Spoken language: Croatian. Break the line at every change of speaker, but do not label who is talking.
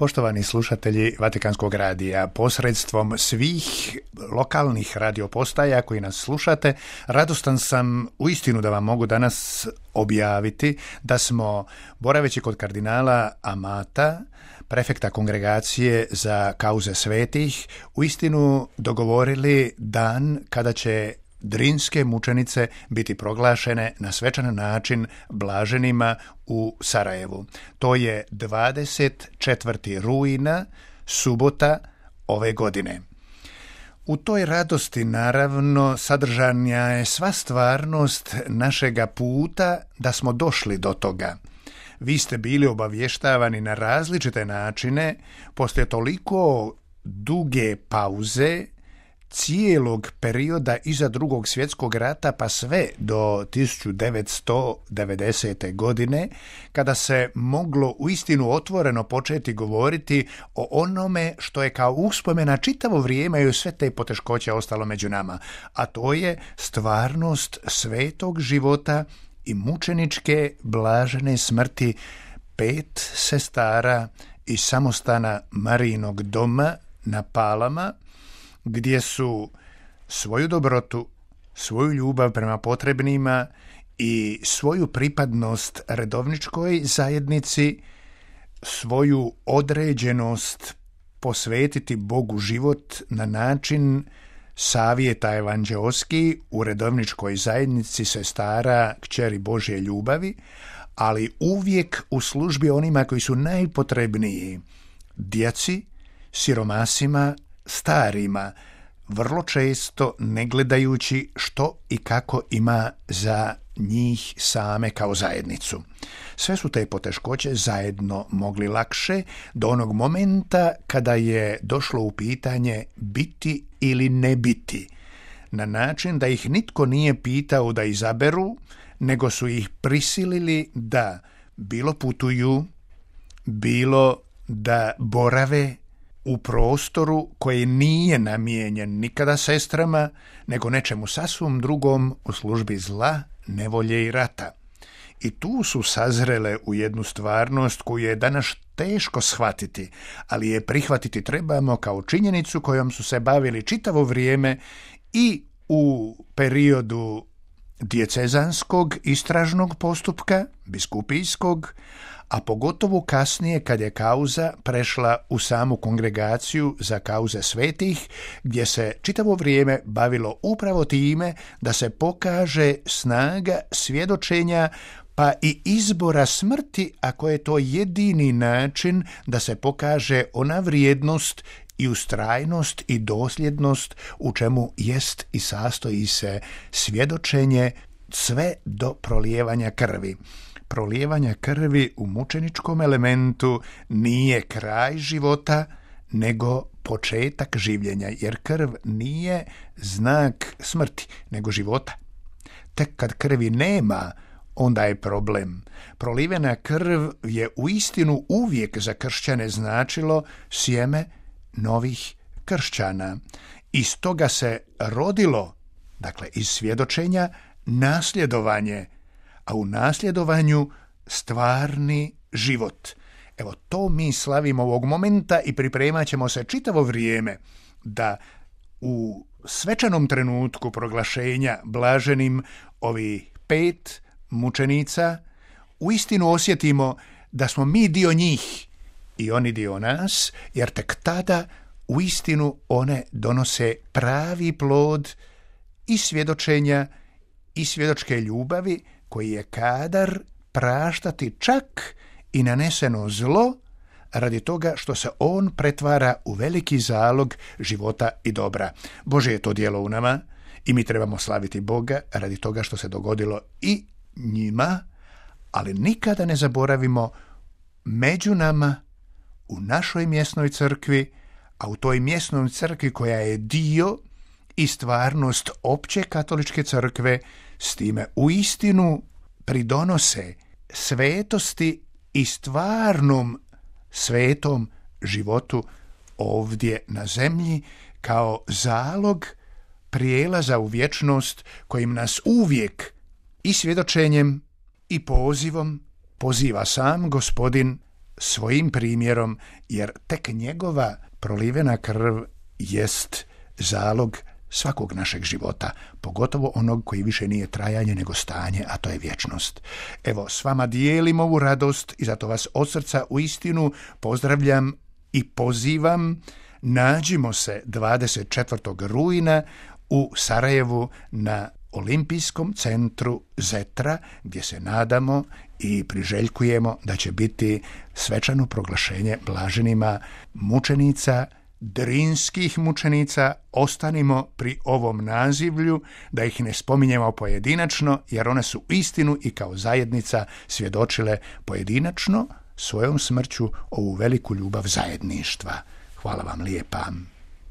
Poštovani slušatelji Vatikanskog radija, posredstvom svih lokalnih radiopostaja koji nas slušate, radostan sam uistinu da vam mogu danas objaviti da smo, boraveći kod kardinala Amata, prefekta kongregacije za kauze svetih, uistinu dogovorili dan kada će Drinske mučenice biti proglašene na svečan način blaženima u Sarajevu. To je 24. rujna, subota ove godine. U toj radosti, naravno, sadržana je sva stvarnost našega puta da smo došli do toga. Vi ste bili obavještavani na različite načine, poslije toliko duge pauze, cijelog perioda iza Drugog svjetskog rata pa sve do 1990. godine, kada se moglo uistinu otvoreno početi govoriti o onome što je kao uspomena čitavo vrijeme i sve te poteškoće ostalo među nama, a to je stvarnost svetog života i mučeničke blažene smrti 5 sestara iz samostana Marijinog doma na Palama, gdje su svoju dobrotu, svoju ljubav prema potrebnima i svoju pripadnost redovničkoj zajednici, svoju određenost posvetiti Bogu život na način savjeta evanđeoski u redovničkoj zajednici sestara kćeri Božje ljubavi, ali uvijek u službi onima koji su najpotrebniji, djeci, siromasima, starima, vrlo često ne gledajući što i kako ima za njih same kao zajednicu. Sve su te poteškoće zajedno mogli lakše do onog momenta kada je došlo u pitanje biti ili ne biti, na način da ih nitko nije pitao da izaberu, nego su ih prisilili da bilo putuju, bilo da borave u prostoru koji nije namijenjen nikada sestrama, nego nečemu sasvim drugom u službi zla, nevolje i rata. I tu su sazrele u jednu stvarnost koju je danas teško shvatiti, ali je prihvatiti trebamo kao činjenicu kojom su se bavili čitavo vrijeme i u periodu dijecezanskog istražnog postupka, biskupijskog, a pogotovo kasnije kad je kauza prešla u samu kongregaciju za kauze svetih, gdje se čitavo vrijeme bavilo upravo time da se pokaže snaga svjedočenja pa i izbora smrti, ako je to jedini način da se pokaže ona vrijednost i ustrajnost i dosljednost u čemu jest i sastoji se svjedočenje sve do prolijevanja krvi. Prolijevanja krvi u mučeničkom elementu nije kraj života, nego početak življenja, jer krv nije znak smrti, nego života. Tek kad krvi nema, onda je problem. Prolivena krv je uistinu uvijek za kršćane značilo sjeme novih kršćana. Iz toga se rodilo, dakle iz svjedočenja, nasljedovanje, a u nasljedovanju stvarni život. Evo, to mi slavimo ovog momenta i pripremat ćemo se čitavo vrijeme da u svečanom trenutku proglašenja blaženim ovih 5 mučenica uistinu osjetimo da smo mi dio njih i oni dio nas, jer tek tada uistinu one donose pravi plod i svjedočenja i svjedočke ljubavi koji je kadar praštati čak i naneseno zlo radi toga što se on pretvara u veliki zalog života i dobra. Bože je to djelo u nama i mi trebamo slaviti Boga radi toga što se dogodilo i njima, ali nikada ne zaboravimo među nama u našoj mjesnoj crkvi, a u toj mjesnoj crkvi koja je dio i stvarnost opće katoličke crkve, s time uistinu pridonose svetosti i stvarnom svetom životu ovdje na zemlji kao zalog prijelaza u vječnost kojim nas uvijek i svjedočenjem i pozivom poziva sam Gospodin svojim primjerom, jer tek njegova prolivena krv jest zalog svakog našeg života, pogotovo onog koji više nije trajanje nego stanje, a to je vječnost. Evo, s vama dijelim ovu radost i zato vas od srca uistinu pozdravljam i pozivam. Nađimo se 24. rujna u Sarajevu na Olimpijskom centru Zetra, gdje se nadamo i priželjkujemo da će biti svečano proglašenje blaženima mučenica, drinskih mučenica. Ostanimo pri ovom nazivlju, da ih ne spominjemo pojedinačno, jer one su istinu i kao zajednica svjedočile pojedinačno svojom smrću ovu veliku ljubav zajedništva. Hvala vam lijepa.